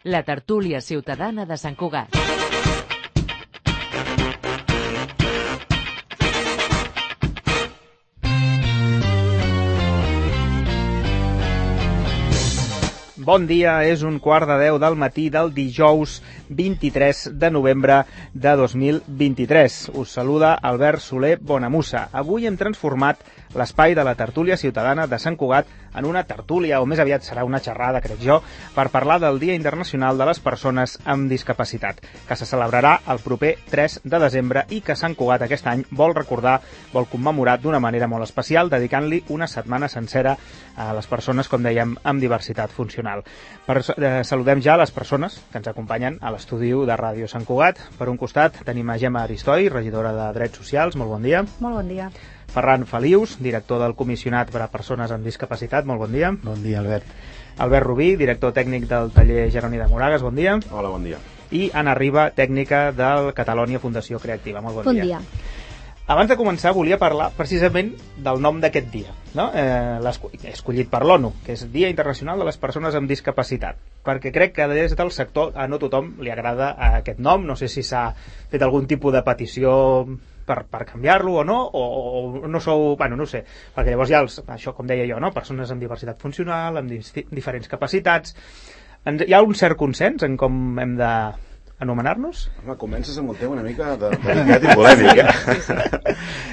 La tertúlia ciutadana de Sant Cugat. Bon dia, és 9:45 del matí del dijous 23 de novembre de 2023. Us saluda Albert Soler Bonamussa. Avui hem transformat l'espai de la tertúlia ciutadana de Sant Cugat en una tertúlia, o més aviat serà una xerrada, crec jo, per parlar del Dia Internacional de les Persones amb Discapacitat, que se celebrarà el proper 3 de desembre i que Sant Cugat aquest any vol recordar, vol commemorar d'una manera molt especial, dedicant-li una setmana sencera a les persones, com dèiem, amb diversitat funcional. Saludem ja les persones que ens acompanyen a l'estudi de Ràdio Sant Cugat. Per un costat tenim a Gemma Aristoi, regidora de Drets Socials. Molt bon dia. Molt bon dia. Ferran Felius, director del Comissionat per a Persones amb Discapacitat. Molt bon dia. Bon dia, Albert. Albert Rubí, director tècnic del taller Jeroni de Moragas. Bon dia. Hola, bon dia. I Anna Riba, tècnica del Catalònia Fundació Creativa. Molt bon dia. Bon dia. Abans de començar, volia parlar precisament del nom d'aquest dia, no? Escollit per l'ONU, que és Dia Internacional de les Persones amb Discapacitat, perquè crec que des del sector a no tothom li agrada aquest nom. No sé si s'ha fet algun tipus de petició per canviar-lo o no, o no sou... Bueno, no ho sé, perquè llavors hi ha això, com deia jo, no? Persones amb diversitat funcional, amb diferents capacitats. Hi ha un cert consens en com hem de anomenar-nos? Home, comences amb el tema una mica delicat i polèmic,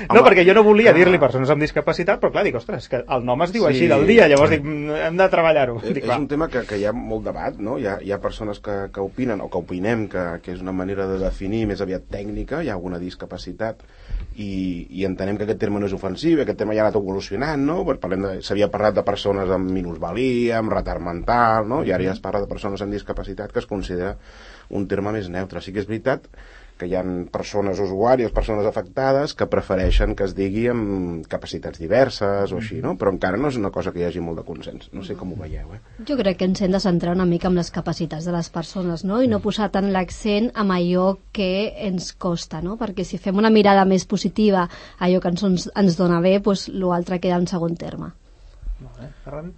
No, perquè jo no volia dir-li persones amb discapacitat, però clar, dic, ostres, que el nom es diu així del dia, llavors dic, hem de treballar-ho. És un tema que hi ha molt debat, no? Hi ha persones que opinen, o que opinem que és una manera de definir més aviat tècnica, hi ha alguna discapacitat, i entenem que aquest terme no és ofensiu, aquest terme ja ha anat evolucionant, no? S'havia parlat de persones amb minusvalia, amb retard mental, no? I ara ja es parla de persones amb discapacitat, que es considera un terme més neutre. Sí que és veritat que hi ha persones usuàries, persones afectades, que prefereixen que es digui amb capacitats diverses o així, no? Però encara no és una cosa que hi hagi molt de consens. No sé com ho veieu, Jo crec que ens hem de centrar una mica en les capacitats de les persones, no? I no posar tant l'accent en allò que ens costa, no? Perquè si fem una mirada més positiva a allò que ens dona bé, doncs l'altre queda en segon terme.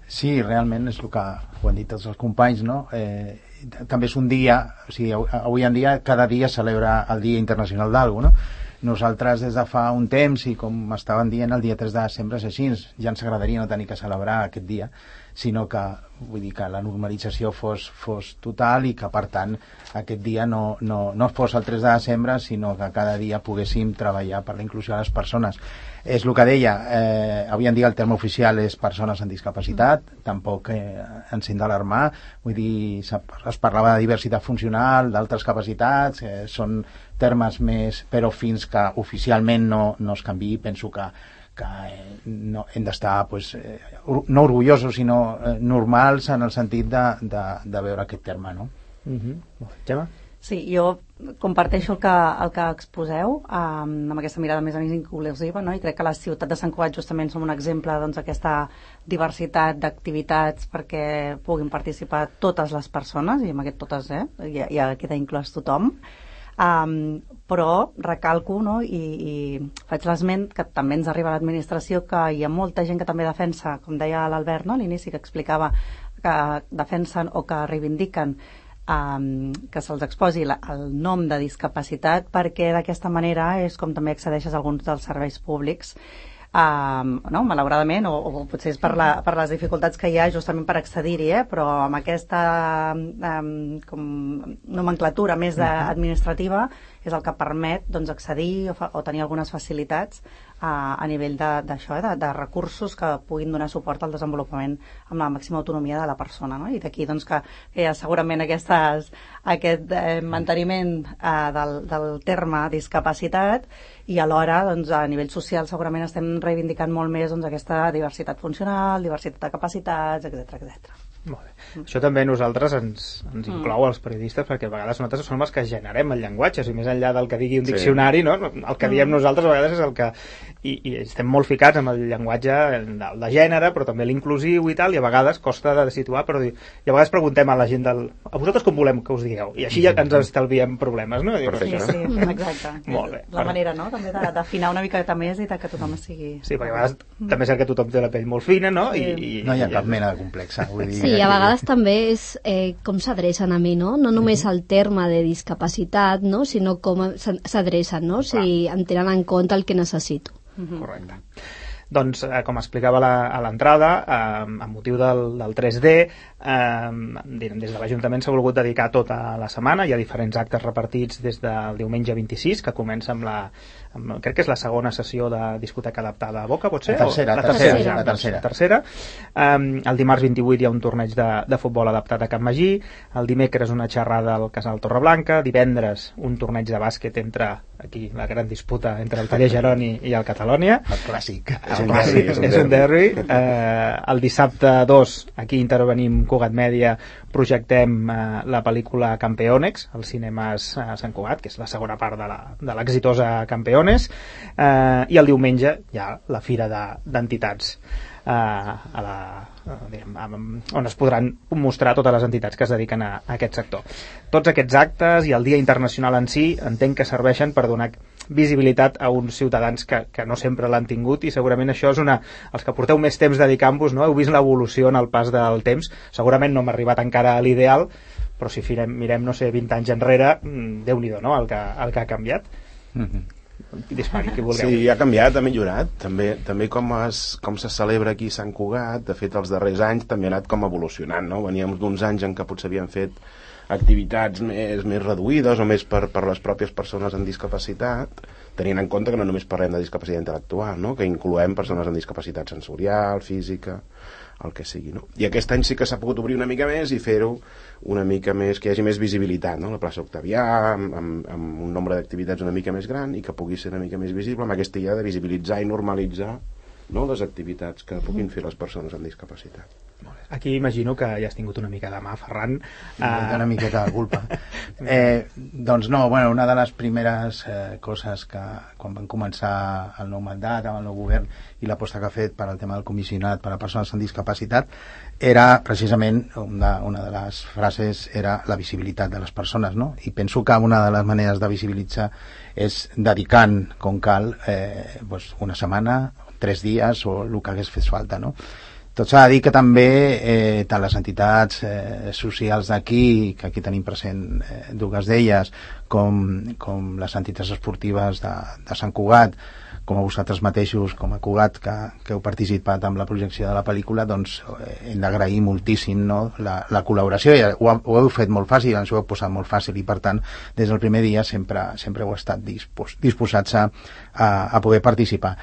Sí, realment és el que ho han dit tots els companys, no? També és un dia, o sigui, avui en dia cada dia celebra el Dia Internacional d'algú, no? Nosaltres des de fa un temps, i com estaven dient, el dia 3 de desembre és així, ja ens agradaria no tenir que celebrar aquest dia, sinó que, vull dir, que la normalització fos total i que, per tant, aquest dia no fos el 3 de desembre, sinó que cada dia poguéssim treballar per la inclusió de les persones. És el que deia, avui en dia el terme oficial és persones amb discapacitat, tampoc ens hem d'alarmar, vull dir, es parlava de diversitat funcional, d'altres capacitats, són termes més, però fins que oficialment no es canviï, penso que no, hem d'estar no orgullosos, sinó normals en el sentit de veure aquest terme, no? Gemma? Sí, jo comparteixo el que exposeu amb aquesta mirada més inclusiva, no? I crec que la ciutat de Sant Cugat justament som un exemple d'aquesta diversitat d'activitats perquè puguin participar totes les persones, i amb aquest totes ja queda inclòs tothom. Però recalco, no? I faig l'esment que també ens arriba a l'administració que hi ha molta gent que també defensa, com deia l'Albert, no? A l'inici, que explicava que defensen o que reivindiquen que se'ls exposi el nom de discapacitat, perquè d'aquesta manera és com també accedeixes a alguns dels serveis públics, no? Malauradament, o potser és per les dificultats que hi ha justament per accedir-hi, però amb aquesta nomenclatura més administrativa és el que permet accedir o tenir algunes facilitats a nivell d'això, de recursos que puguin donar suport al desenvolupament amb la màxima autonomia de la persona, no? I d'aquí que hi ha segurament aquest manteniment del terme discapacitat, i alhora a nivell social segurament estem reivindicant molt més aquesta diversitat funcional, diversitat de capacitats, etc. Molt bé. Això també a nosaltres ens inclou als periodistes, perquè a vegades nosaltres som els que generem el llenguatge, i més enllà del que digui un diccionari, no? El que diem nosaltres a vegades és el que... I estem molt ficats amb el llenguatge de gènere, però també l'inclusiu i tal, i a vegades costa de situar, però i a vegades preguntem a la gent a vosaltres com volem que us digueu, i així ja ens estalviem problemes, no? Perfecte. Sí, exacte. Molt bé. La manera, no?, també d'afinar una miqueta més i que tothom sigui... Sí, perquè a vegades també és cert que tothom té la pell molt fina, no? I no hi ha cap mena de complexa. Vull dir, sí, a vegades també és com s'adrecen a mi, no? No només el terme de discapacitat, no? Sinó com s'adrecen, no? Si em tenen en compte el que necessito. Correcte. Doncs, com explicava a l'entrada, amb motiu del 3D, des de l'Ajuntament s'ha volgut dedicar tota la setmana. Hi ha diferents actes repartits des del diumenge 26, que comença crec que és la segona sessió de discoteca adaptada a Boca, pot ser? La tercera. El dimarts 28 hi ha un torneig de futbol adaptat a Can Magí, el dimecres una xerrada al Casal Torreblanca, divendres un torneig de bàsquet aquí la gran disputa entre el Taller Geroni i el Catalònia. El clàssic. És un derbi. El dissabte 2 aquí intervenim Cugat Mèdia, projectem la pel·lícula Campeones als cinemes Sant Cugat, que és la segona part de l'exitosa Campeones, i el diumenge hi ha la fira d'entitats on es podran mostrar totes les entitats que es dediquen a aquest sector. Tots aquests actes i el Dia Internacional en si entenc que serveixen per donar visibilitat a uns ciutadans que no sempre l'han tingut, i segurament això és els que porteu més temps dedicant-vos, no? Heu vist l'evolució en el pas del temps. Segurament no hem arribat encara a l'ideal, però si mirem, no sé, 20 anys enrere, Déu-n'hi-do, no?, el que ha canviat. Dispari, qui vulgueu. Sí, ha canviat, ha millorat. També com se celebra aquí Sant Cugat, de fet els darrers anys també ha anat com evolucionant, no? Veníem d'uns anys en què potser havien fet activitats més reduïdes o més per les pròpies persones amb discapacitat, tenint en compte que no només parlem de discapacitat intel·lectual, no?, que incloem persones amb discapacitat sensorial, física, el que sigui, no? I aquest any sí que s'ha pogut obrir una mica més i fer-ho una mica més, que hi hagi més visibilitat, no? La plaça Octavià, amb un nombre d'activitats una mica més gran i que pugui ser una mica més visible, amb aquesta idea de visibilitzar i normalitzar, no?, les activitats que puguin fer les persones amb discapacitat. Aquí imagino que ja has tingut una mica de mà, Ferran. Una miqueta de culpa. Doncs no, bueno, una de les primeres coses que quan van començar el nou mandat amb el nou govern i l'aposta que ha fet per al tema del comissionat per a persones amb discapacitat era precisament, una de les frases era la visibilitat de les persones, no? I penso que una de les maneres de visibilitzar és dedicant, com cal, una setmana, 3 dies o el que hagués fet falta, no? Tot s'ha de dir que també tant les entitats socials d'aquí, que aquí tenim present dues d'elles, com les entitats esportives de Sant Cugat, com a vosaltres mateixos, com a Cugat, que heu participat amb la projecció de la pel·lícula, doncs hem d'agrair moltíssim, no?, la col·laboració. Ho heu fet molt fàcil, ens ho heu posat molt fàcil i, per tant, des del primer dia sempre heu estat disposats a poder participar.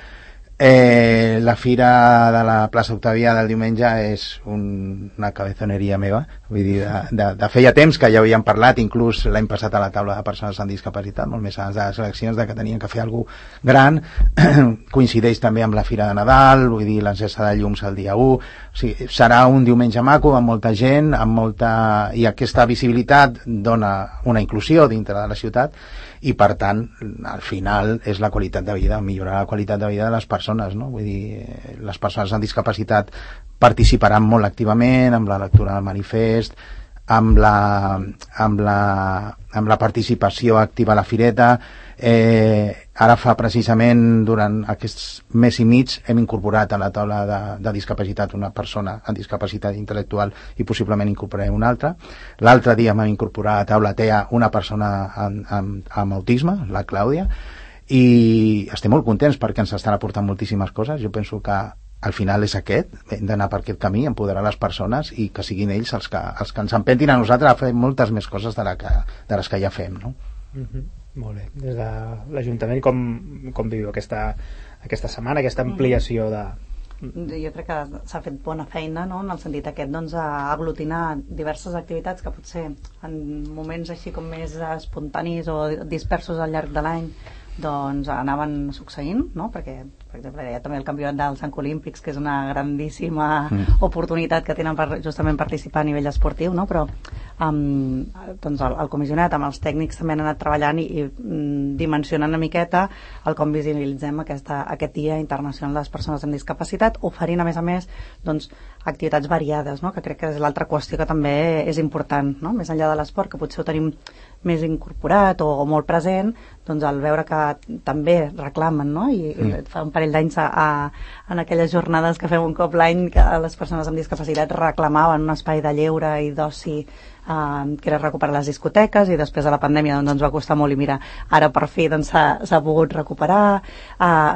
La fira de la plaça Octavià del diumenge és una cabezoneria meva, vull dir, de feia temps que ja havíem parlat, inclús l'any passat a la taula de persones amb discapacitat, molt més abans de les eleccions, que tenien que fer alguna cosa gran. Coincideix també amb la fira de Nadal, vull dir, l'encesa de llums el dia 1, o sigui, serà un diumenge maco amb molta gent, i aquesta visibilitat dona una inclusió dintre de la ciutat, i per tant al final és la qualitat de vida, millorar la qualitat de vida de les persones, no? Vull dir, les persones amb discapacitat participaran molt activament amb la lectura del manifest, amb la participació activa a la fireta. Ara fa precisament, durant aquests mes i mig, hem incorporat a la taula de discapacitat una persona amb discapacitat intel·lectual i possiblement incorporarem una altra. L'altre dia vam incorporar a la taula TEA una persona amb autisme, la Clàudia, i estem molt contents perquè ens estan aportant moltíssimes coses. Jo penso que al final és aquest, hem d'anar per aquest camí, empoderar les persones i que siguin ells els que ens empentin a nosaltres a fer moltes més coses de les que ja fem, no? Molt bé. Des de l'Ajuntament com viu aquesta setmana, aquesta ampliació de... Jo crec que s'ha fet bona feina, no?, en el sentit aquest, doncs, a aglutinar diverses activitats que potser en moments així com més espontanis o dispersos al llarg de l'any doncs anaven succeint, no? Perquè, per exemple, hi ha també el campionat dels Jocs Olímpics, que és una grandíssima oportunitat que tenen per justament participar a nivell esportiu, no? Però doncs el comissionat amb els tècnics també han anat treballant i dimensionant una miqueta el com visibilitzem aquest Dia Internacional de les Persones amb Discapacitat, oferint a més doncs, activitats variades, no? Que crec que és l'altra qüestió que també és important, no? Més enllà de l'esport, que potser ho tenim més incorporat o molt present, doncs al veure que també reclamen, no? I fa un parell d'anys en aquelles jornades que fem un cop l'any que les persones amb discapacitat reclamaven un espai de lleure i d'oci que era recuperar les discoteques, i després de la pandèmia doncs, ens va costar molt, i mira, ara per fi doncs, s'ha pogut recuperar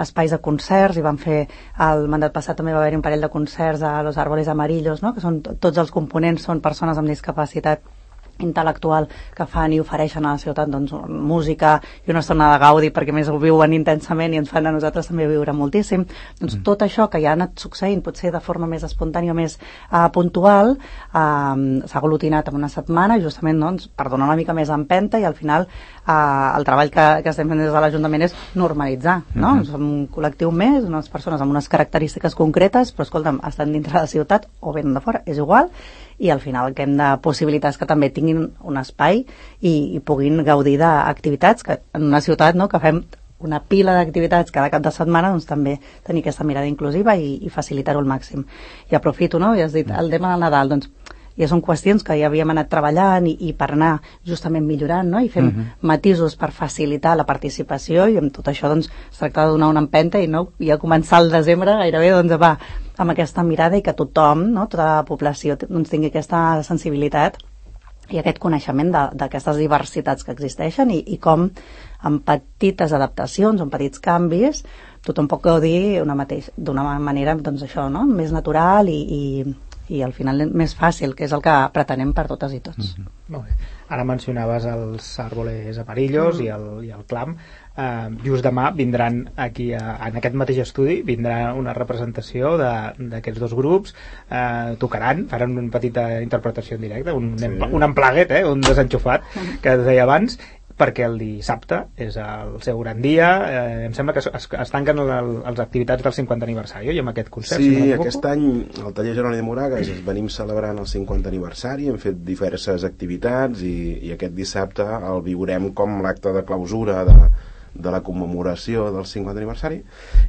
espais de concerts, i van fer el mandat passat també va haver-hi un parell de concerts a Los Árboles Amarillos, no? Que són, tots els components són persones amb discapacitat intel·lectual que fan i ofereixen a la ciutat doncs, música i una estona de gaudi, perquè més ho viuen intensament i ens fan a nosaltres també viure moltíssim. Doncs tot això que ja ha anat succeint potser de forma més espontània o més puntual s'ha aglutinat en una setmana justament doncs, per donar una mica més empenta, i al final el treball que estem fent des de l'Ajuntament és normalitzar, no? Som un col·lectiu més, unes persones amb unes característiques concretes, però escolta'm, estan dintre de la ciutat o venen de fora, és igual, i al final el que hem de possibilitar és que també tinguin un espai i puguin gaudir d'activitats, que en una ciutat, no?, que fem una pila d'activitats cada cap de setmana, doncs també tenir aquesta mirada inclusiva i facilitar-ho al màxim. I aprofito, no?, ja has dit el tema del Nadal, doncs ja són qüestions que ja havíem anat treballant i per anar justament millorant, no?, i fent matisos per facilitar la participació, i amb tot això doncs es tracta de donar una empenta i no ja començar el desembre gairebé doncs va amb aquesta mirada, i que tothom, no?, tota la població doncs, tingui aquesta sensibilitat i aquest coneixement d'aquestes diversitats que existeixen, i com amb petites adaptacions, amb petits canvis, tothom pot gaudir d'una manera doncs això, no?, més natural i al final més fàcil, que és el que pretenem per totes i tots. Molt bé. Ara mencionaves els Árboles Amarillos i el Clam. Just demà vindran aquí en aquest mateix estudi vindrà una representació d'aquests dos grups, tocaran, faran una petita interpretació en directe, un emplaguet, un desenxufat que es deia abans, perquè el dissabte és el seu gran dia. Em sembla que es tanquen les activitats del 50 aniversari, i amb aquest concert. Sí, aquest any al taller Jeroni de Moragas venim celebrant el 50 aniversari, hem fet diverses activitats, i aquest dissabte el viurem com l'acte de clausura de la commemoració del 50 aniversari,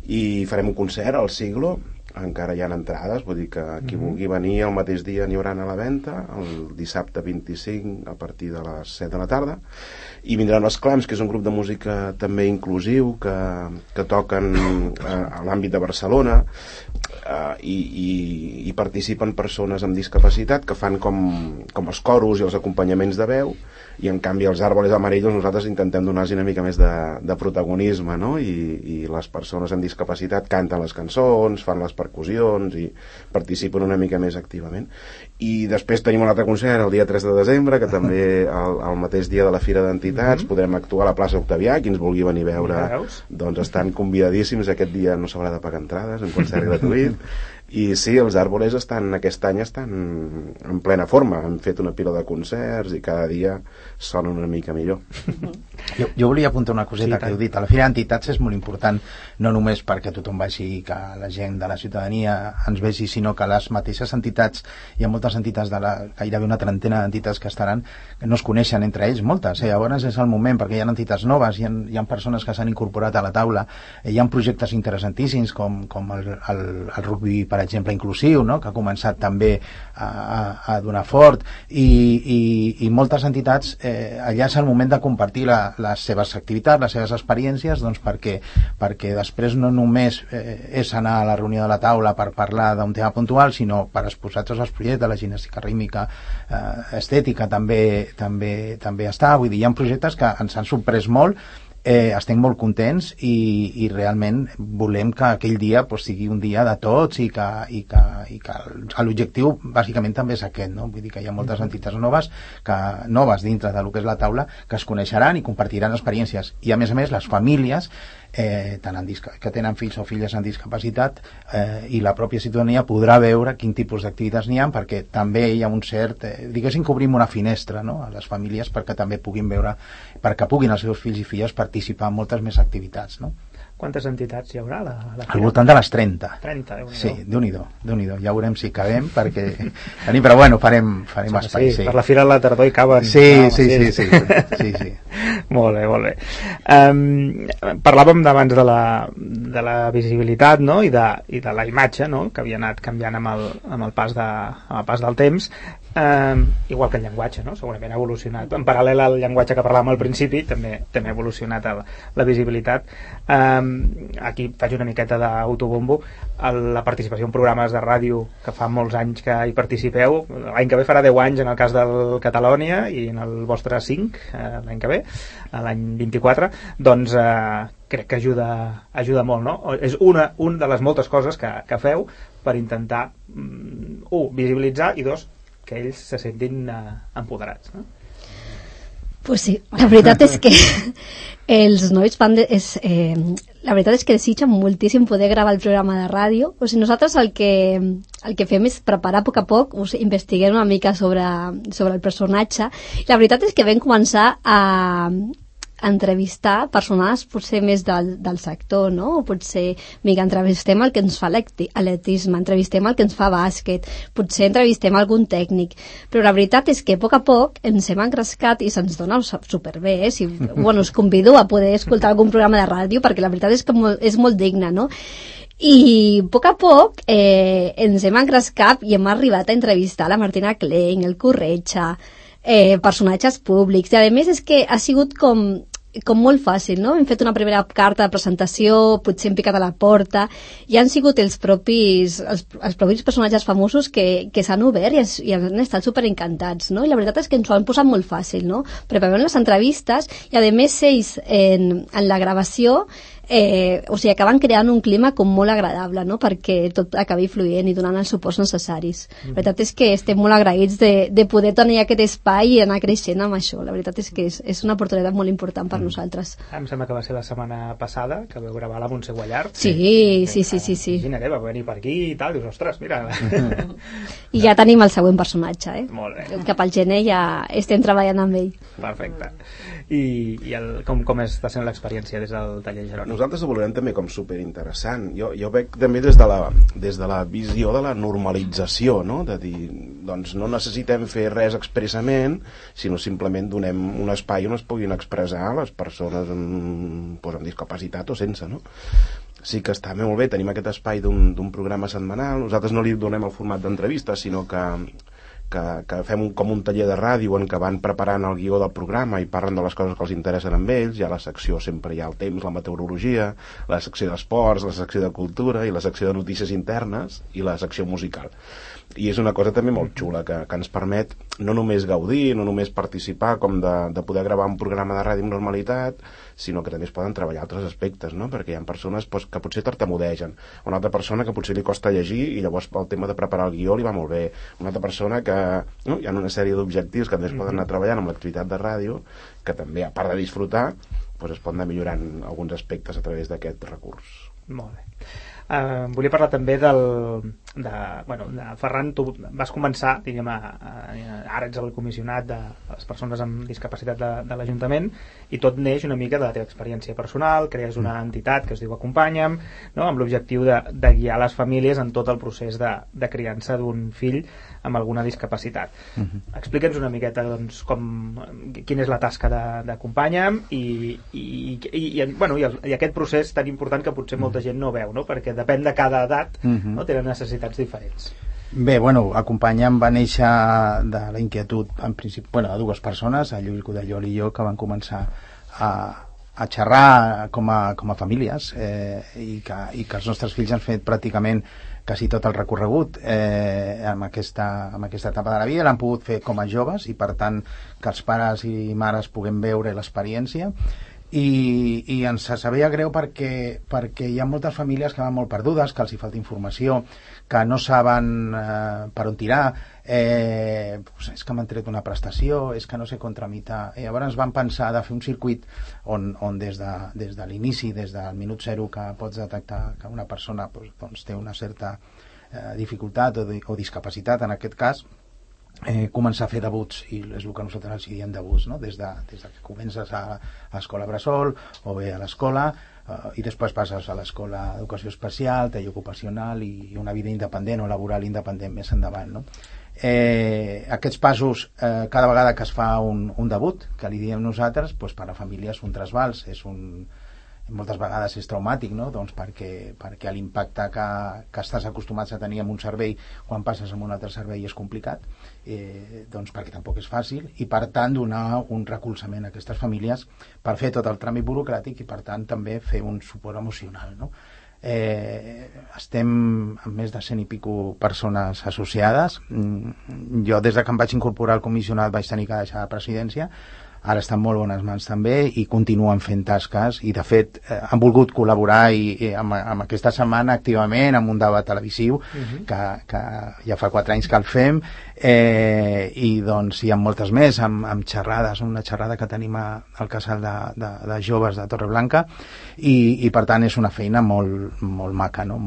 i farem un concert al Siglo. Encara hi ha entrades, vull dir que qui vulgui venir el mateix dia n'hi haurà a la venda, el dissabte 25 a partir de les 7 de la tarda, i vindran els Clams, que és un grup de música també inclusiu que toquen a l'àmbit de Barcelona, i participen persones amb discapacitat que fan com els coros i els acompanyaments de veu, i en canvi els Árboles Amarillos nosaltres intentem donar-los una mica més de protagonisme, no? I les persones amb discapacitat canten les cançons, fan les percussions i participen una mica més activament. I després tenim un altre concert el dia 3 de desembre, que també el mateix dia de la Fira d'Entitats podrem actuar a la plaça Octavià. Qui ens vulgui venir a veure doncs estan convidadíssims. Aquest dia no s'haurà de pagar entrades, un concert gratuït. I sí, els Árboles aquest any estan en plena forma, han fet una pila de concerts i cada dia sonen una mica millor. Jo volia apuntar una coseta que heu dit. A la Fira d'Entitats és molt important, no només perquè tothom vegi, que la gent de la ciutadania ens vegi, sinó que les mateixes entitats, hi ha moltes entitats, gairebé una trentena d'entitats que estaran, que no es coneixen entre ells, moltes. Llavors és el moment, perquè hi ha entitats noves, hi ha persones que s'han incorporat a la taula, hi ha projectes interessantíssims com el rugby, per exemple, inclusiu, no?, que ha començat també a donar fort, i moltes entitats, allà és el moment de compartir les seves activitats, les seves experiències, doncs perquè després no només és anar a la reunió de la taula per parlar d'un tema puntual, sinó per exposar tots els projectes, la gimnàstica rítmica, estètica també està, vull dir, hi ha projectes que ens han sorprès molt. Estem molt contents i realment volem que aquell dia sigui un dia de tots, i que l'objectiu bàsicament també és aquest, no? Vull dir que hi ha moltes entitats noves dintre del que és la taula, que es coneixeran i compartiran experiències, i a més les famílies tant que tenen fills o filles amb discapacitat, i la pròpia ciutadania podrà veure quin tipus d'activitats n'hi ha, perquè també hi ha un cert, diguéssim que obrim una finestra, no?, a les famílies perquè també puguin veure, perquè puguin els seus fills i filles participar en moltes més activitats, no? Quantes entitats hi haurà a la Al voltant de les 30. 30, Déu-n'hi-do. Sí, Déu-n'hi-do. Ja veurem si cabem, perquè... Però bueno, farem espai, sí. Per la fira de la tardor hi caben. Sí. Molt bé. Parlàvem abans de la visibilitat, no?, i de la imatge, no?, que havia anat canviant amb el pas del temps. Igual que el llenguatge, no?, segurament ha evolucionat. En paral·lel al llenguatge que parlàvem al principi, també ha evolucionat la visibilitat. Aquí faig una miqueta d'autobombo. La participació en programes de ràdio, que fa molts anys que hi participeu, l'any que ve farà 10 anys en el cas del Catalònia i en el vostre 5 l'any que ve, l'any 24, doncs crec que ajuda molt, no? És una de les moltes coses que feu per intentar, visibilitzar, i dos, que ells se sentin empoderats, no? Pues sí, la veritat és que els nois la veritat és que desitgen moltíssim poder gravar el programa de ràdio. O sigui, nosaltres el que fem és preparar a poc, investiguem una mica sobre el personatge, i la veritat és que vam començar a entrevistar persones potser més del sector, no? O potser, entrevistem el que ens fa atletisme, entrevistem el que ens fa bàsquet, potser entrevistem algun tècnic, però la veritat és que a poc ens hem engrescat i se'ns dona superbé, us convido a poder escoltar algun programa de ràdio, perquè la veritat és que és molt digne, no? I a poc ens hem engrescat i hem arribat a entrevistar la Martina Klein, el Corretja, personatges públics, i a més és que ha sigut com molt fàcil, no? Hem fet una primera carta de presentació, potser hem picat a la porta, i han sigut els propis personatges famosos que s'han obert i han estat superencantats, no? I la veritat és que ens ho han posat molt fàcil, no? Preparem les entrevistes i a més ells en la gravació acaben creant un clima com molt agradable, no?, perquè tot acabi fluint i donant els suports necessaris. La veritat és que estem molt agraïts de poder tenir aquest espai i anar creixent amb això. La veritat és que és una oportunitat molt important per nosaltres. Em sembla que va ser la setmana passada que vau gravar la Montse Guallart. Sí. Imagina't, va venir per aquí i tal, dius, ostres, mira. I ja tenim el següent personatge, Molt bé. Cap al gener ja estem treballant amb ell. Perfecte. I com està sent l'experiència des del taller Jeroni? Nosaltres ho valorem també com superinteressant. Jo veig també des de la visió de la normalització, no? De dir, doncs no necessitem fer res expressament, sinó simplement donem un espai on es puguin expressar les persones amb discapacitat o sense, no? Sí que està molt bé, tenim aquest espai d'un programa setmanal. Nosaltres no li donem el format d'entrevista, sinó que fem com un taller de ràdio en què van preparant el guió del programa i parlen de les coses que els interessen amb ells. Hi ha la secció, sempre hi ha el temps, la meteorologia, la secció d'esports, la secció de cultura i la secció de notícies internes i la secció musical. I és una cosa també molt xula que ens permet no només gaudir, no només participar com de poder gravar un programa de ràdio amb normalitat, sinó que també es poden treballar altres aspectes, no? Perquè hi ha persones que potser tartamudegen, una altra persona que potser li costa llegir i llavors el tema de preparar el guió li va molt bé, una altra persona que hi ha una sèrie d'objectius que també es poden anar treballant amb l'activitat de ràdio, que també, a part de disfrutar, es poden anar millorant alguns aspectes a través d'aquest recurs. Molt bé. Volia parlar també Ferran, tu vas començar, diguem, ara ets el comissionat de les persones amb discapacitat de l'Ajuntament, i tot neix una mica de la teva experiència personal, crees una entitat que es diu Acompanya'm, no?, amb l'objectiu de guiar les famílies en tot el procés de criança d'un fill amb alguna discapacitat. Explica'ns una miqueta, doncs, quina és la tasca d'Acompanya'm i aquest procés tan important que potser molta gent no veu, no?, perquè depèn de cada edat, no?, tenen necessitats diferents. Bé, Acompanya'm va néixer de la inquietud, en principi, de dues persones, el Lluís Codellol i jo, que van començar a xerrar com a famílies, i que els nostres fills han fet pràcticament quasi tot el recorregut amb aquesta etapa de la vida, l'han pogut fer com a joves, i per tant que els pares i mares puguem veure l'experiència. i ens sabia greu perquè hi ha moltes famílies que van molt perdudes, que els hi falta informació, que no saben per on tirar, és que m'han tret una prestació, és que no sé com tramitar. Llavors van pensar de fer un circuit on des de l'inici, des del minut zero que pots detectar que una persona doncs, té una certa dificultat o discapacitat en aquest cas, començar a fer debuts, i és el que nosaltres els diem debuts, no? Des que comences a l'escola bressol o bé a l'escola, i després passes a l'escola d'educació especial, taller ocupacional i una vida independent o laboral independent més endavant, no? Aquests passos, cada vegada que es fa un debut, que li diem nosaltres, doncs per a la família és un trasbals, moltes vegades és traumàtic, no? Doncs perquè l'impacte que estàs acostumats a tenir en un servei quan passes a un altre servei és complicat, doncs perquè tampoc és fàcil, i per tant donar un recolzament a aquestes famílies per fer tot el tràmit burocràtic i per tant també fer un suport emocional, no? Estem amb més de 100 i pico persones associades. Jo des que em vaig incorporar al comissionat vaig tenir que deixar la presidència. Ara estan molt bones mans també i continuen fent tasques, i de fet han volgut col·laborar amb aquesta setmana activament amb un debat televisiu que ja fa 4 anys que el fem, i doncs hi ha moltes més amb xerrades, una xerrada que tenim al casal de joves de Torreblanca, i per tant és una feina molt maca, no?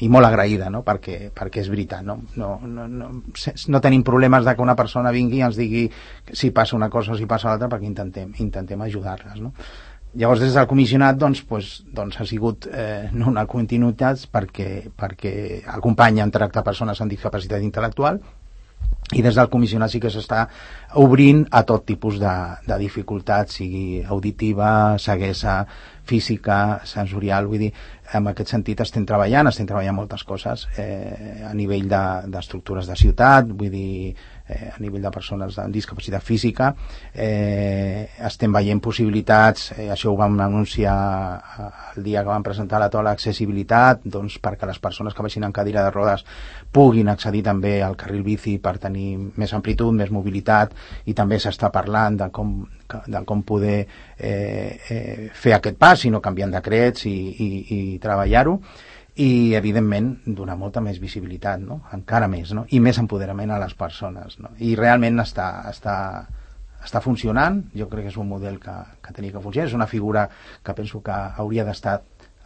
I molt agraïda, no? perquè és veritat, no tenim problemes de que una persona vingui i ens digui si passa una cosa o si passa l'altra, perquè intentem ajudar-les, no? Llavors des del comissionat doncs ha sigut una continuïtat perquè acompanya en tractar persones amb discapacitat intel·lectual, i des del comissionat sí que s'està obrint a tot tipus de dificultats, sigui auditiva, ceguesa, física, sensorial. Vull dir, en aquest sentit estem treballant moltes coses a nivell d'estructures de ciutat, vull dir, a nivell de persones amb discapacitat física. Estem veient possibilitats, això ho vam anunciar el dia que vam presentar la taula d'accessibilitat, doncs perquè les persones que vagin en cadira de rodes puguin accedir també al carril bici per tenir més amplitud, més mobilitat, i també s'està parlant de com poder fer aquest pas, sinó canviant decrets i treballar-ho, i evidentment donar molta més visibilitat, no? Encara més, no? I més empoderament a les persones, no? I realment està funcionant. Jo crec que és un model que tenia que funcionar, és una figura que penso que hauria d'estar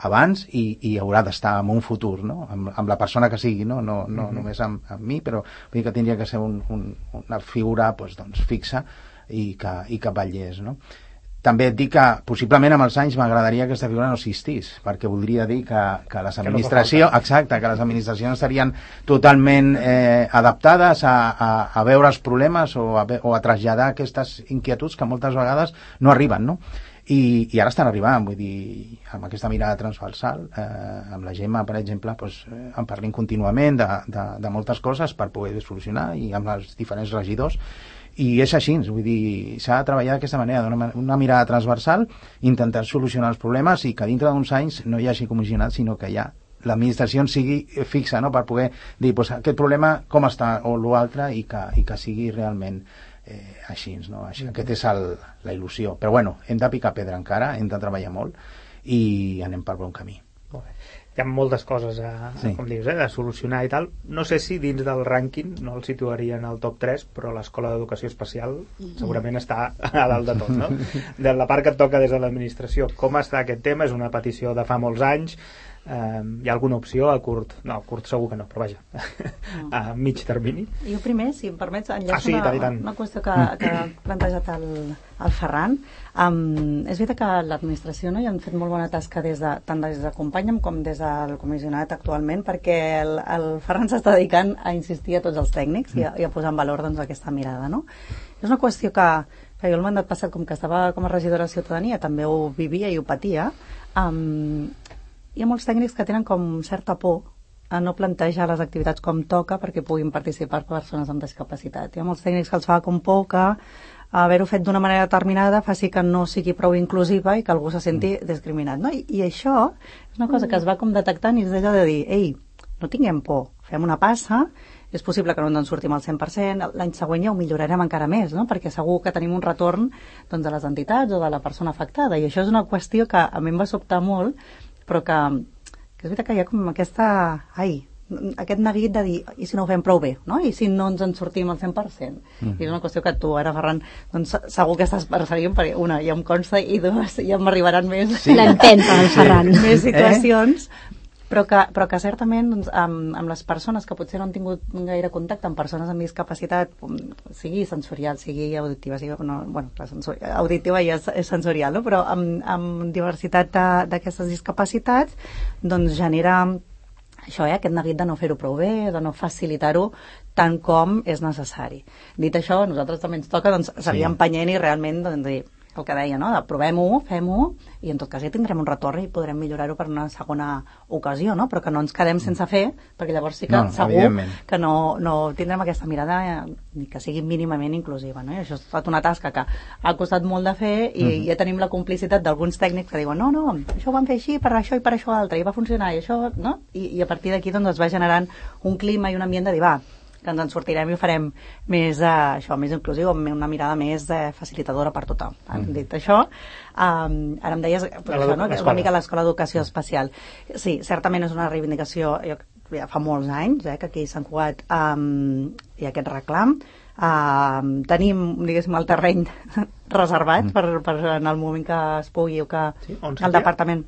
abans i haurà d'estar en un futur, no? Amb la persona que sigui, no només amb mi, però vull dir que tindria que ser una figura doncs, fixa i que vetllés, no? També et dic que possiblement amb els anys m'agradaria que aquesta figura no existís, perquè voldria dir que les administracions, que les administracions estarien totalment adaptades a veure els problemes o a traslladar aquestes inquietuds que moltes vegades no arriben, no? I ara estan arribant, vull dir, amb aquesta mirada transversal, amb la Gemma, per exemple, en parlem contínuament de moltes coses per poder solucionar, i amb els diferents regidors. I és així, vull dir, s'ha de treballar d'aquesta manera, una mirada transversal, intentar solucionar els problemes, i que dintre d'uns anys no hi hagi comissionat, sinó que ja l'administració sigui fixa, no?, per poder dir, aquest problema com està, o l'altre, i que sigui realment així, no? Aquesta és la il·lusió. Però bueno, hem de picar pedra encara, hem de treballar molt, i anem per bon camí. Molt bé. Hi ha moltes coses com dius, de solucionar i tal. No sé si dins del rànquing no el situaria en el top 3, però l'Escola d'Educació Especial segurament està a dalt de tot, no? De la part que et toca des de l'administració, com està aquest tema? És una petició de fa molts anys. Hi ha alguna opció a curt? No, a curt segur que no, però vaja, a mig termini. Jo primer, si em permets, enllaço una qüestió que ha plantejat el Ferran. És veritat que l'administració hi han fet molt bona tasca tant des de Companya'm com des del comissionat actualment, perquè el Ferran s'està dedicant a insistir a tots els tècnics i a posar en valor aquesta mirada, no? És una qüestió que jo el mandat passat, com que estava com a regidora de Ciutadania, també ho vivia i ho patia. Hi ha molts tècnics que tenen com certa por a no plantejar les activitats com toca perquè puguin participar persones amb discapacitat. Hi ha molts tècnics que els fa com por que haver-ho fet d'una manera determinada faci que no sigui prou inclusiva i que algú se senti discriminat, no? I això és una cosa que es va com detectant, i és allò de dir, ei, no tinguem por, fem una passa és possible que no ens en sortim al 100%, l'any següent ja ho millorarem encara més, no? Perquè segur que tenim un retorn doncs, de les entitats o de la persona afectada, i això és una qüestió que a mi em va sobtar molt, però que és veritat que hi ha com aquest neguit de dir, i si no ho fem prou bé, no? I si no ens en sortim al 100%? I és una qüestió que tu ara, Ferran, doncs, segur que estàs perseguint, perquè una, ja em consta, i dues, ja m'arribaran més... Sí. L'entens, el Ferran. Més situacions, però que certament doncs, amb les persones que potser no han tingut gaire contacte amb persones amb discapacitat, sigui sensorial, sigui auditiva, auditiva ja és sensorial, no? Però amb diversitat d'aquestes discapacitats, doncs genera això, aquest neguit de no fer-ho prou bé, de no facilitar-ho tant com és necessari. Dit això, a nosaltres també ens toca doncs, seguir empenyent i realment doncs, dir el que deia, no? Provem-ho, fem-ho, i en tot cas ja tindrem un retorn i podrem millorar-ho per una segona ocasió, no? Però que no ens quedem sense fer, perquè llavors sí que segur que no tindrem aquesta mirada ni que sigui mínimament inclusiva, no? I això ha estat una tasca que ha costat molt de fer i ja tenim la complicitat d'alguns tècnics que diuen no, això ho vam fer així, per això i per això altre, i va funcionar, i això, no? I a partir d'aquí doncs es va generant un clima i un ambient de dir, que ens en sortirem i ho farem més, més inclusiu, amb una mirada més facilitadora per tothom. Dit això, ara em deies una mica l'escola d'educació especial. Sí, certament és una reivindicació, ja fa molts anys que aquí a Sant Cugat hi ha aquest reclam. Tenim, diguéssim, el terreny reservat per en el moment que es pugui o que el departament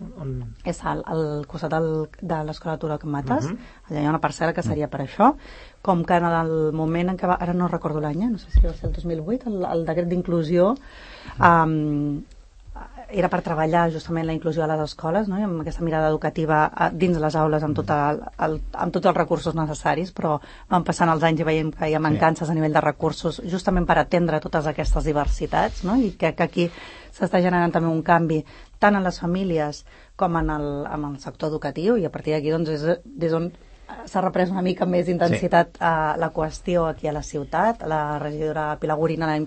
és al costat de l'escola Turó Can Mates, allà hi ha una parcel·la que seria per això, com que en el moment en què ara no recordo l'any, no sé si va ser el 2008, el decret d'inclusió era per treballar justament la inclusió a les escoles, no? I amb aquesta mirada educativa dins les aules amb tots els recursos necessaris, però van passant els anys i veiem que hi ha mancances a nivell de recursos justament per atendre totes aquestes diversitats, no? I que aquí s'està generant també un canvi tant en les famílies com en el sector educatiu, i a partir d'aquí doncs, és des on s'ha reprès una mica més intensitat la qüestió aquí a la ciutat. La regidora Pilar Gorina el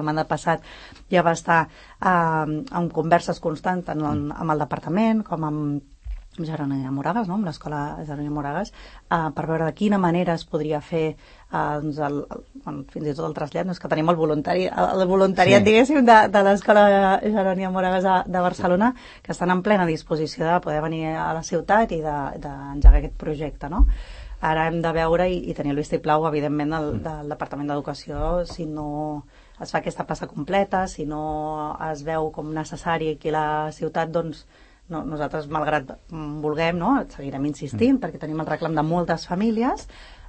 mandat passat ja va estar en converses constants tant amb el departament com amb Jeroni Moragas, no? Amb l'escola Jeroni Moragas, per veure de quina manera es podria fer fins i tot el trasllat. No és que tenim el voluntariat diguéssim, de l'escola Jeroni Moragas de Barcelona, que estan en plena disposició de poder venir a la ciutat i d'engegar aquest projecte, no? Ara hem de veure i tenir el vistiplau, evidentment, del Departament d'Educació, si no es fa aquesta passa completa, si no es veu com necessari aquí a la ciutat, doncs nosaltres, malgrat vulguem, seguirem insistint, perquè tenim el reclam de moltes famílies,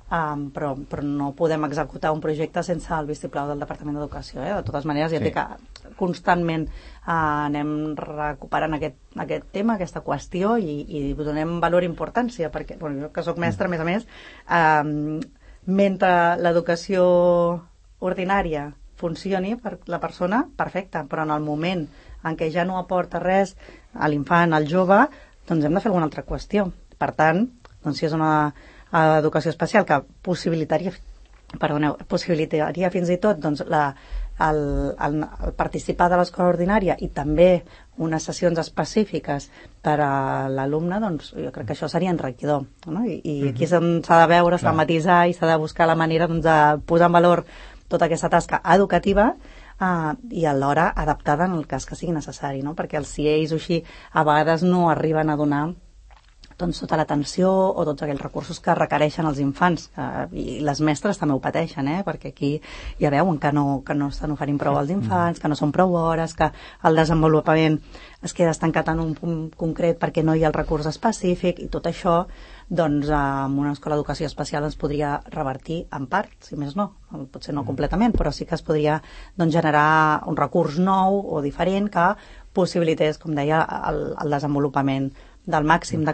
però no podem executar un projecte sense el vistiplau del Departament d'Educació. De totes maneres, ja dic que constantment anem recuperant aquest tema, aquesta qüestió, i donem valor i importància, perquè jo que soc mestra, a més, mentre l'educació ordinària funcioni per la persona, perfecte, però en el moment en què ja no aporta res a l'infant, al jove, doncs hem de fer alguna altra qüestió. Per tant, doncs si és una educació especial que possibilitaria fins i tot doncs, el participar de l'escola ordinària i també unes sessions específiques per a l'alumne, doncs jo crec que això seria enriquidor, no? I aquí s'ha de veure, s'ha de matisar i s'ha de buscar la manera doncs, de posar en valor tota aquesta tasca educativa i alhora adaptada en el cas que sigui necessari, no? Perquè els CIEs o així a vegades no arriben a donar doncs, tota l'atenció o tots aquells recursos que requereixen els infants, i les mestres també ho pateixen, perquè aquí ja veuen que no estan oferint prou als infants, que no són prou hores, que el desenvolupament es queda estancat en un punt concret perquè no hi ha el recurs específic, i tot això doncs amb una escola d'educació especial es podria revertir en part, si més no, potser no completament, però sí que es podria doncs, generar un recurs nou o diferent que possibilités, com deia, el desenvolupament del màxim de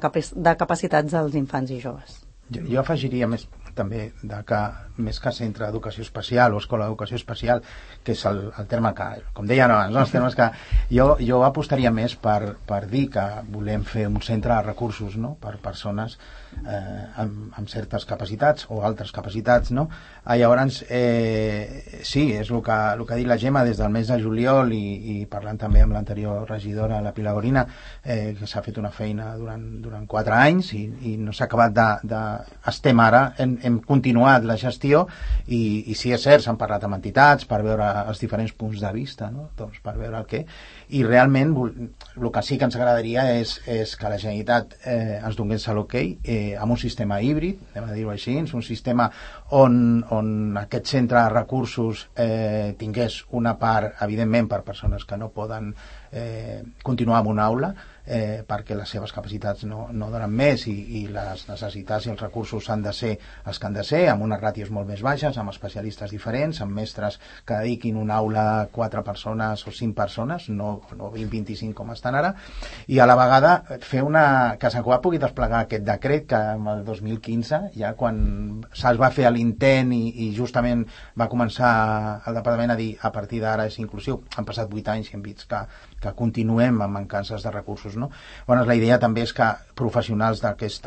capacitats dels infants i joves. Jo afegiria més també que més que centre d'educació especial o escola d'educació especial, que és el terme que, com deia abans, els termes que jo apostaria més per dir que volem fer un centre de recursos, no? Per persones amb certes capacitats o altres capacitats, no? Llavors sí, és el que ha dit la Gemma des del mes de juliol, i parlant també amb l'anterior regidora, la Pilar Gorina, que s'ha fet una feina durant 4 anys i no s'ha acabat estem ara en hem continuat la gestió i sí, és cert, s'han parlat amb entitats per veure els diferents punts de vista, no? Doncs per veure el què, i realment el que sí que ens agradaria és que la Generalitat ens donés l'okey amb un sistema híbrid, anem a dir-ho així, un sistema on aquest centre de recursos tingués una part, evidentment, per persones que no poden continuar en una aula, perquè les seves capacitats no donen més i les necessitats i els recursos han de ser els que han de ser, amb unes ràtios molt més baixes, amb especialistes diferents, amb mestres que dediquin una aula a 4 persones o 5 persones, no 20-25 com estan ara, i a la vegada fer que Sant Cugat pugui desplegar aquest decret que en el 2015, ja quan se'ls va fer l'intent i justament va començar el departament a dir a partir d'ara és inclusiu, han passat 8 anys i hem vist que continuem amb mancances de recursos, no? Bueno, la idea també és que professionals d'aquest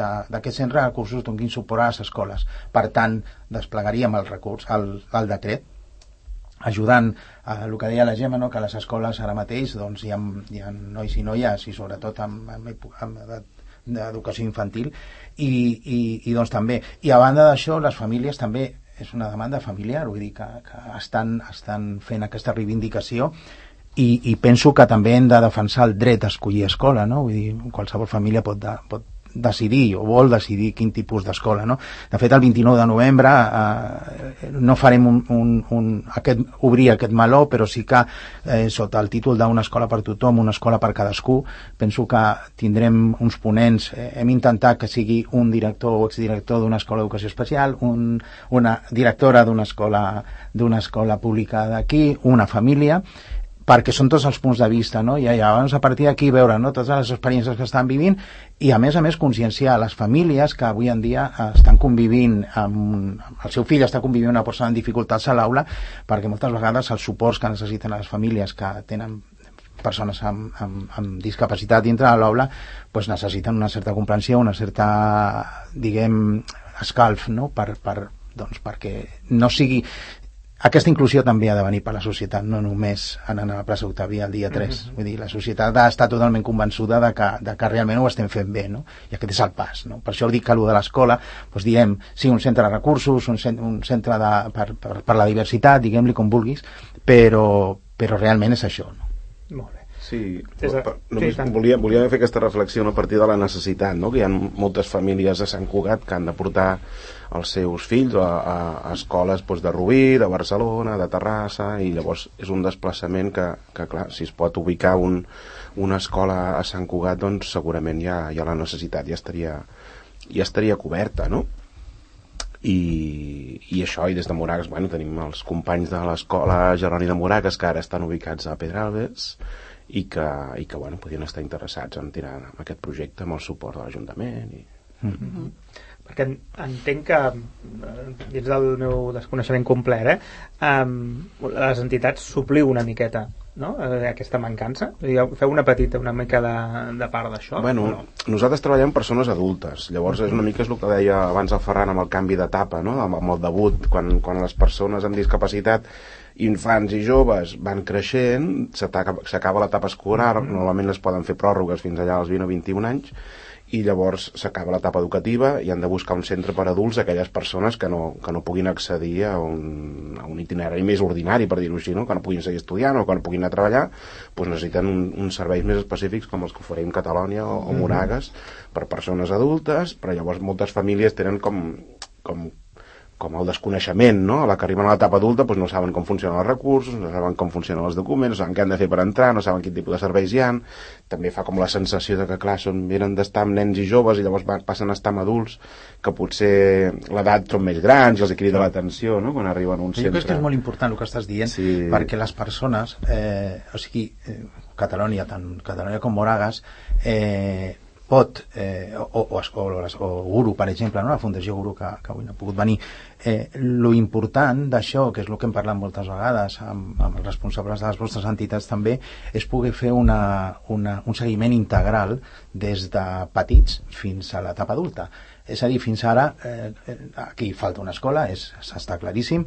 centre de recursos donin suport a les escoles. Per tant, desplegaríem el recurs, el decret, ajudant a el que deia la Gemma, no? Que a les escoles ara mateix doncs, hi ha nois i noies i sobretot amb edat d'educació infantil i doncs també. I a banda d'això, les famílies també és una demanda familiar, vull dir que estan fent aquesta reivindicació i penso que també hem de defensar el dret a escollir escola, no? Vull dir, qualsevol família pot decidir o vol decidir quin tipus d'escola, no? De fet, el 29 de novembre no farem obrir aquest meló, però sí que sota el títol d'una escola per tothom, una escola per cadascú, penso que tindrem uns ponents, hem intentat que sigui un director o exdirector d'una escola d'educació especial, una directora d'una escola pública d'aquí, una família, perquè són tots els punts de vista, no? I llavors a partir d'aquí veure, no, totes les experiències que estan vivint i a més conscienciar les famílies que avui en dia estan convivint el seu fill està convivint amb una persona amb dificultats a l'aula, perquè moltes vegades els suports que necessiten les famílies que tenen persones amb discapacitat dintre de l'aula doncs necessiten una certa comprensió, una certa, diguem, escalf, no? Perquè no sigui... Aquesta inclusió també ha de venir per la societat, no només anant a la plaça Octàvia el dia 3. Vull dir, la societat ha estat totalment convençuda de que realment ho estem fent bé, no? I aquest és el pas, no? Per això dic que allò de l'escola, doncs diem, sí, un centre de recursos, un centre per la diversitat, diguem-li com vulguis, però realment és això, no? Molt bé. Sí, només volia fer aquesta reflexió a partir de la necessitat, no? Que hi ha moltes famílies a Sant Cugat que han de portar els seus fills a escoles de Rubí, de Barcelona, de Terrassa, i llavors és un desplaçament que clar, si es pot ubicar una escola a Sant Cugat, doncs segurament ja la necessitat ja estaria coberta, no? I això, i des de Moragas, bueno, tenim els companys de l'escola Jeroni de Moragas que ara estan ubicats a Pedralbes i que bueno, podien estar interessats en tirar aquest projecte amb el suport de l'Ajuntament perquè entenc que dins del meu desconeixement complet les entitats supliu una miqueta, no? Aquesta mancança, feu una mica de part d'això? Bueno, nosaltres treballem persones adultes, llavors és una mica el que deia abans el Ferran amb el canvi d'etapa, no? Amb el debut, quan les persones amb discapacitat, infants i joves van creixent, s'acaba l'etapa escolar, normalment les poden fer pròrrogues fins allà als 20 o 21 anys, i llavors s'acaba l'etapa educativa i han de buscar un centre per adults aquelles persones que no puguin accedir a un itinerari més ordinari, per dir-ho així, no? Que no puguin seguir estudiant o que no puguin anar a treballar, doncs necessiten uns serveis més específics com els que oferim Catalonia o Moragas per persones adultes, però llavors moltes famílies tenen com el desconeixement, no? A la que arriben a l'etapa adulta doncs no saben com funcionen els recursos, no saben com funcionen els documents, no saben què han de fer per entrar, no saben quin tipus de serveis hi ha, també fa com la sensació de que, clar, venen d'estar amb nens i joves i llavors passen a estar amb adults que potser l'edat són més grans i els crida l'atenció, no? Quan arriben a un centre. Jo crec que és molt important el que estàs dient, sí. Perquè les persones, o sigui, Catalonia, tant Catalonia com Moragas, pot, o Guru, per exemple, no? La Fundació Guru, que avui no ha pogut venir, lo important d'això, que és el que hem parlat moltes vegades amb els responsables de les vostres entitats també, és poder fer un seguiment integral des de petits fins a l'etapa adulta. És a dir, fins ara aquí falta una escola, està claríssim,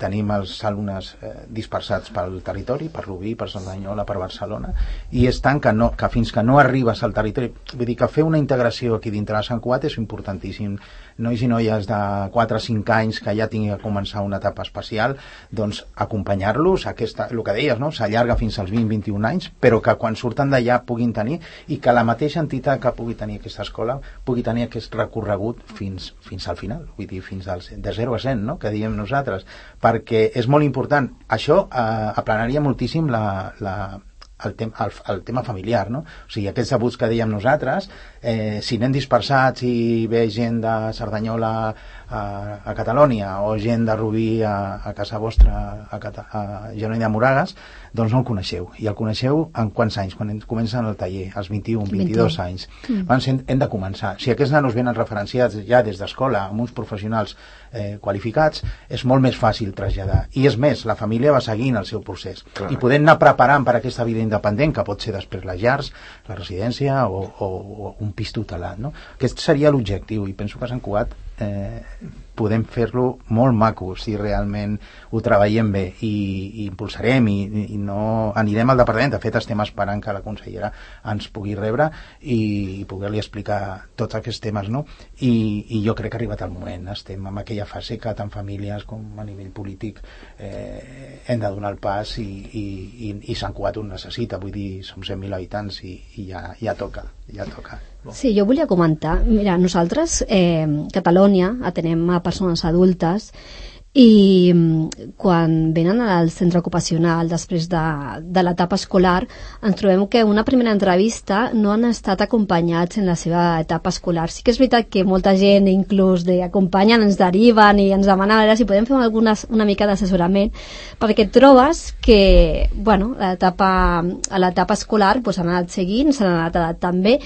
tenim els alumnes dispersats pel territori, per Rubí, per Cerdanyola, per Barcelona, i és tant que fins que no arribes al territori, vull dir que fer una integració aquí dintre de Sant Cugat és importantíssim. Nois i noies de 4 a 5 anys que ja tinguin que començar una etapa especial, doncs acompanyar-los, el que deies, no? S'allarga fins als 20-21 anys, però que quan surten d'allà puguin tenir, i que la mateixa entitat que pugui tenir aquesta escola pugui tenir aquest recorregut fins al final, vull dir, fins de 0 a 100, no? Que diem nosaltres, perquè és molt important. Això aplanaria moltíssim el tema familiar, no? O sigui, aquests abuts que dèiem nosaltres, si anem dispersats i ve gent de Cerdanyola a Catalònia o gent de Rubí a casa vostra a Genoll de Moragas, doncs no el coneixeu. I el coneixeu en quants anys? Quan comencen el taller, als 21, 22 anys. Doncs hem de començar. Si aquests nanos venen referenciats ja des d'escola amb uns professionals qualificats, és molt més fàcil traslladar. I és més, la família va seguint el seu procés. Clar. I podem anar preparant per aquesta vida independent, que pot ser després les llars, la residència o un pis tutelat, no? Aquest seria l'objectiu, i penso que a Sant Cugat podem fer-lo molt maco si realment ho treballem bé, i impulsarem i no anirem al departament. De fet, estem esperant que la consellera ens pugui rebre i poder-li explicar tots aquests temes, no? I jo crec que ha arribat el moment. Estem en aquella fase que tant famílies com a nivell polític hem de donar el pas, i Sant Cugat ho necessita. Vull dir, som 100.000 habitants i ja toca. Sí, jo volia comentar, mira, nosaltres Catalunya atenem a persones adultes, i quan venen al centre ocupacional després de l'etapa escolar ens trobem que una primera entrevista no han estat acompanyats en la seva etapa escolar. Sí que és veritat que molta gent inclús acompanyen, ens deriven i ens demanen a veure si podem fer una mica d'assessorament, perquè trobes que a l'etapa escolar han anat seguint, s'han anat adaptant bé,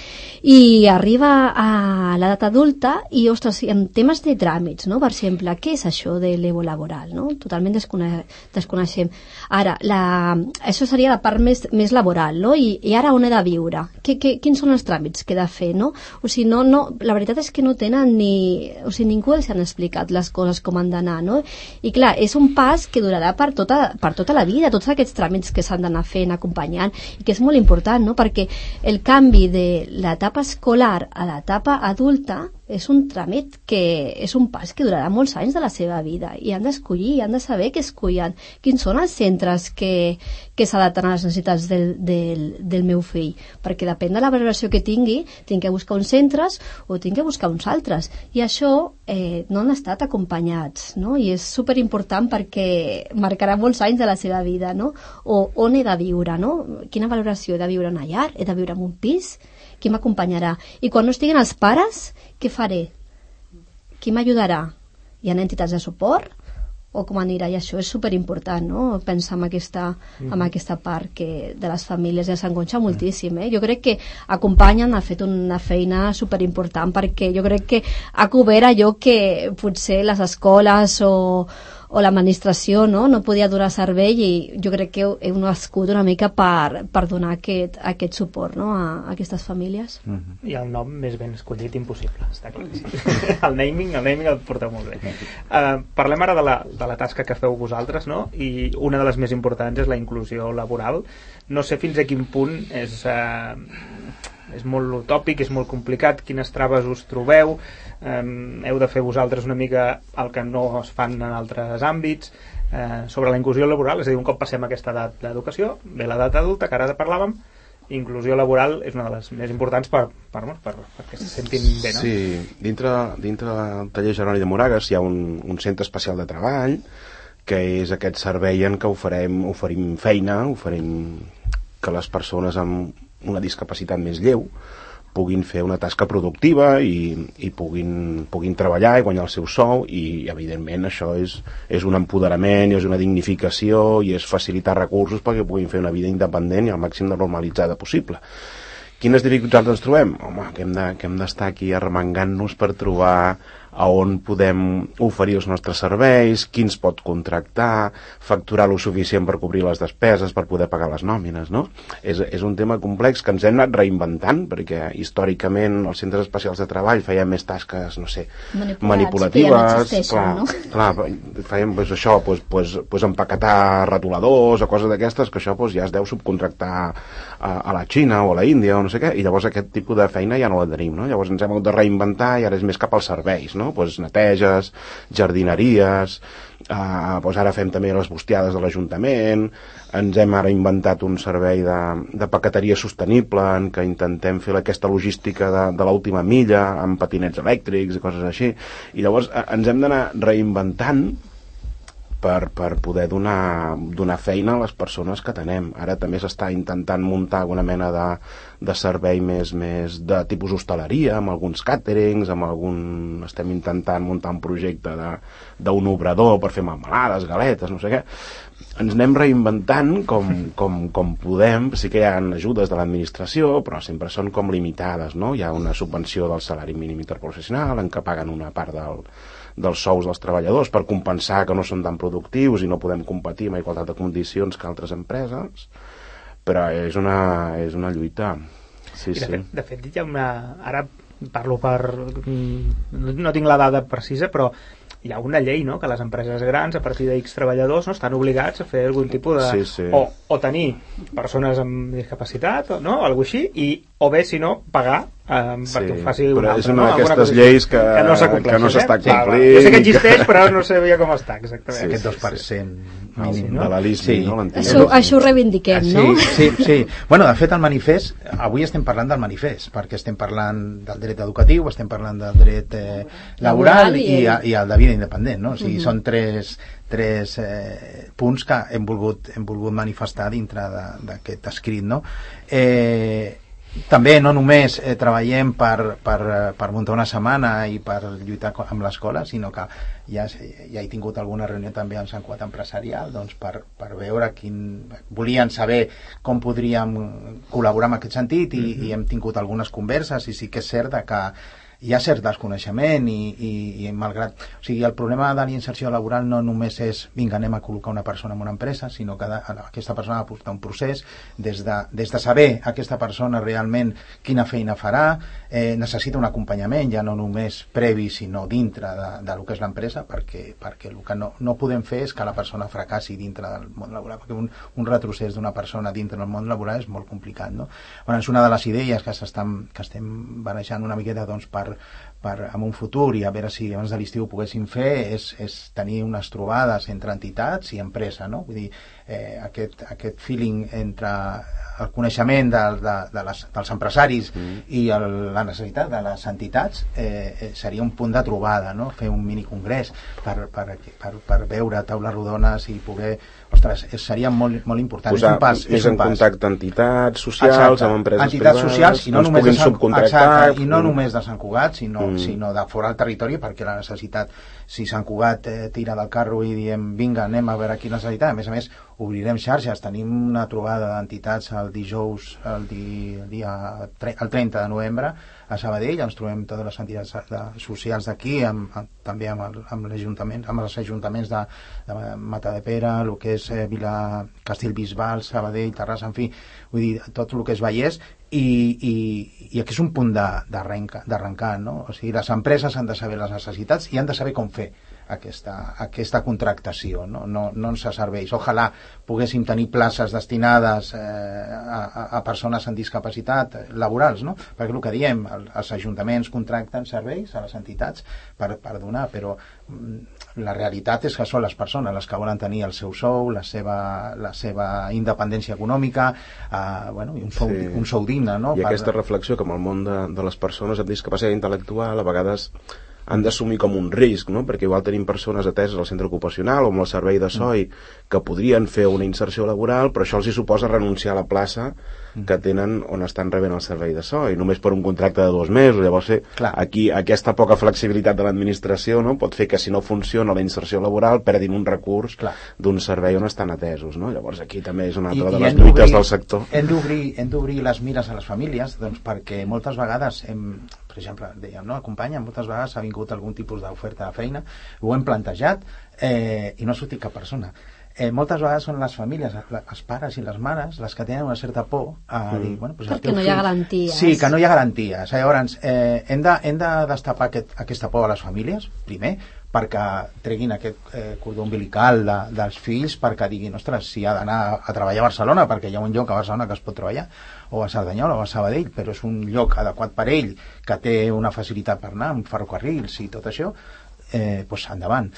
i arriba a l'edat adulta i, ostres, en temes de tràmits, no? Per exemple, què és això de laboral, no? Totalment desconeixem. Ara, això seria la part més laboral, no? I ara on he de viure? Quins són els tràmits que he de fer, no? O sigui, la veritat és que no tenen ningú els han explicat les coses com han d'anar, no? I clar, és un pas que durarà per tota la vida, tots aquests tràmits que s'han d'anar fent, acompanyant, i que és molt important, no? Perquè el canvi de l'etapa escolar a l'etapa adulta és un tràmit que és un pas que durarà molts anys de la seva vida, i han d'escollir, han de saber què escollen, quins són els centres que s'adapten a les necessitats del meu fill, perquè depèn de la valoració que tingui, tinc que buscar uns centres o tinc que buscar uns altres, i això no han estat acompanyats, no? I és superimportant perquè marcarà molts anys de la seva vida, no? O on he de viure, no? Quina valoració? He de viure en una llar? He de viure en un pis? Qui m'acompanyarà? I quan no estiguen els pares, què faré? Qui m'ajudarà? Hi ha entitats de suport? O com anirà? I això és superimportant, no? Pensar en aquesta part que de les famílies ja s'engonxa moltíssim, Jo crec que acompanyen, ha fet una feina superimportant, perquè jo crec que ha cobert allò que potser les escoles o l'administració no podia donar servei, i jo crec que heu nascut una mica per donar aquest suport, no, a aquestes famílies. I el nom més ben escollit impossible, està clar. El naming el porteu molt bé. Parlem ara de la tasca que feu vosaltres, no? I una de les més importants és la inclusió laboral. No sé fins a quin punt és molt utòpic, és molt complicat, quines traves us trobeu, heu de fer vosaltres una mica el que no es fan en altres àmbits, sobre la inclusió laboral. És a dir, un cop passem aquesta edat d'educació, ve l'edat adulta, que ara parlàvem, inclusió laboral és una de les més importants perquè se sentin bé, no? Sí, dintre del taller Genoll de Moragas hi ha un centre especial de treball, que és aquest servei en què oferim feina, oferim que les persones amb una discapacitat més lleu puguin fer una tasca productiva i puguin treballar i guanyar el seu sou, i evidentment això és un empoderament i és una dignificació i és facilitar recursos perquè puguin fer una vida independent i al màxim de normalitzada possible. Quines dificultats ens trobem? Home, que hem d'estar aquí arremangant-nos per trobar a on podem oferir els nostres serveis, qui ens pot contractar, facturar lo suficient per cobrir les despeses, per poder pagar les nòmines, no? És un tema complex que ens hem anat reinventant, perquè històricament els centres especials de treball feien més tasques, no sé, manipulatives, clar, feien això, empaquetar retoladors o coses d'aquestes, que això ja es deu subcontractar a la Xina o a la Índia o no sé què, i llavors aquest tipus de feina ja no la tenim, no? Llavors ens hem hagut de reinventar i ara és més cap als serveis, no? Pues neteges, jardineries, doncs ara fem també les bustiades de l'Ajuntament, ens hem ara inventat un servei de paqueteria sostenible en què intentem fer aquesta logística de l'última milla amb patinets elèctrics i coses així, i llavors ens hem d'anar reinventant per poder donar feina a les persones que tenem. Ara també s'està intentant muntar alguna mena de servei més de tipus hostaleria, amb alguns càterings, estem intentant muntar un projecte d'un obrador per fer melmelades, galetes, no sé què. Ens anem reinventant com podem. Sí que hi ha ajudes de l'administració, però sempre són com limitades, no? Hi ha una subvenció del salari mínim interprofessional en què paguen una part dels sous dels treballadors per compensar que no són tan productius i no podem competir amb igualtat de condicions que altres empreses, però és una lluita. Sí, de fet hi ha ara parlo no tinc la dada precisa, però hi ha una llei, no?, que les empreses grans a partir de X treballadors no estan obligats a fer algun tipus de... Sí. O tenir persones amb discapacitat, no?, algo així, o bé, si no, pagar perquè ho faci una altra. És una d'aquestes lleis que no s'està complint. Jo sé que existeix, però no sabia com està exactament. Aquest 2% mínim, no? De l'ALISMI, no? Això ho reivindiquem, no? Sí. Bueno, de fet, el manifest, avui estem parlant del manifest, perquè estem parlant del dret educatiu, estem parlant del dret laboral i el de vida independent, no? O sigui, són tres punts que hem volgut manifestar dintre d'aquest escrit, no? També no només treballem per muntar una setmana i per lluitar amb l'escola, sinó que ja he tingut alguna reunió també amb Sant Cugat Empresarial, doncs per veure volien saber com podríem col·laborar en aquest sentit i hem tingut algunes converses i sí que és cert que hi ha cert desconeixement i malgrat... O sigui, el problema de la inserció laboral no només és vinga, anem a col·locar una persona en una empresa, sinó que aquesta persona ha de portar un procés des de saber aquesta persona realment quina feina farà, necessita un acompanyament, ja no només previ, sinó dintre de lo que és l'empresa, perquè el que no podem fer és que la persona fracassi dintre del món laboral, perquè un retrocés d'una persona dintre del món laboral és molt complicat, no? Bueno, és una de les idees que estem barejant una miqueta, doncs, en un futur i a veure si abans de l'estiu ho poguéssim fer és tenir unes trobades entre entitats i empresa, no? Vull dir, aquest feeling entre el coneixement dels empresaris i la necessitat de les entitats seria un punt de trobada, no? Fer un minicongrés per veure taules rodones i poder... Ostres, seria molt important. Posar més en contacte entitats socials, amb empreses privades, socials, i no només subcontractar. I no només de Sant Cugat, sinó de fora del territori, perquè la necessitat, si Sant Cugat tira del carro i diem vinga, anem a veure quina necessitat, a més, obrirem xarxes, tenim una trobada d'entitats el dijous, el 30 de novembre, a Sabadell, ens trobem totes les entitats socials d'aquí, també amb els ajuntaments de Matadepera, el que és Castellbisbal, Sabadell, Terrassa, en fi, vull dir, tot el que és Vallès, i aquí és un punt d'arrencar, no? O sigui, les empreses han de saber les necessitats i han de saber com fer aquesta contractació, no ens serveix. Ojalà poguéssim tenir places destinades a persones amb discapacitat laborals, no? Perquè el que diem, els ajuntaments contracten serveis a les entitats per donar, però la realitat és que són les persones les que volen tenir el seu sou, la seva independència econòmica, i un sou digne, no? I aquesta reflexió que amb el món de les persones amb discapacitat intel·lectual a vegades han d'assumir com un risc, no? Perquè igual tenim persones ateses al centre ocupacional o amb el servei de SOI que podrien fer una inserció laboral, però això els hi suposa renunciar a la plaça que tenen on estan rebent el servei de SOI, només per un contracte de 2 mesos. Llavors, aquí aquesta poca flexibilitat de l'administració, no? Pot fer que si no funciona la inserció laboral perdin un recurs d'un servei on estan atesos, no? Llavors aquí també és una altra de les lluites del sector. Hem d'obrir les mires a les famílies, doncs, perquè moltes vegades per exemple, dèiem, no? Acompanya, moltes vegades ha vingut algun tipus d'oferta de feina, ho hem plantejat i no ha sortit cap persona. moltes vegades són les famílies, els pares i les mares, les que tenen una certa por a dir... Bueno, pues perquè no hi ha garanties. Sí, que no hi ha garanties. Llavors, hem de destapar aquesta por a les famílies, primer, perquè treguin aquest cordó umbilical dels fills, perquè diguin, ostres, si ha d'anar a treballar a Barcelona, perquè hi ha un lloc a Barcelona que es pot treballar, o a Cerdanyola o a Sabadell, però és un lloc adequat per ell, que té una facilitat per anar, amb ferrocarrils i tot això, doncs endavant.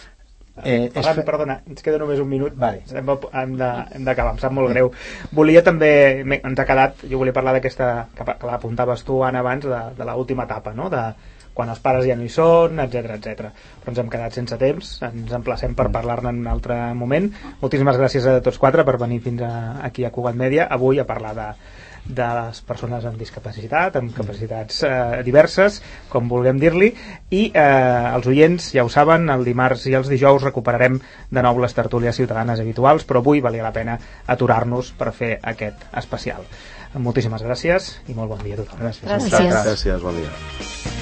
Perdona, ens queda només un minut. Vale. Hem d'acabar, em sap molt greu. Volia també, ens ha quedat, jo volia parlar d'aquesta, que l'apuntaves tu, Anna, abans, de l'última etapa, no?, de quan els pares ja no hi són, etc. Però ens hem quedat sense temps, ens emplacem per parlar-ne en un altre moment. Moltíssimes gràcies a tots quatre per venir fins aquí a Cugat Mèdia, avui a parlar de les persones amb discapacitat, amb capacitats diverses, com vulguem dir-li, i els oients ja ho saben, el dimarts i els dijous recuperarem de nou les tertúlies ciutadanes habituals, però avui valia la pena aturar-nos per fer aquest especial. Moltíssimes gràcies i molt bon dia a tothom. Gràcies. Gràcies, bon dia.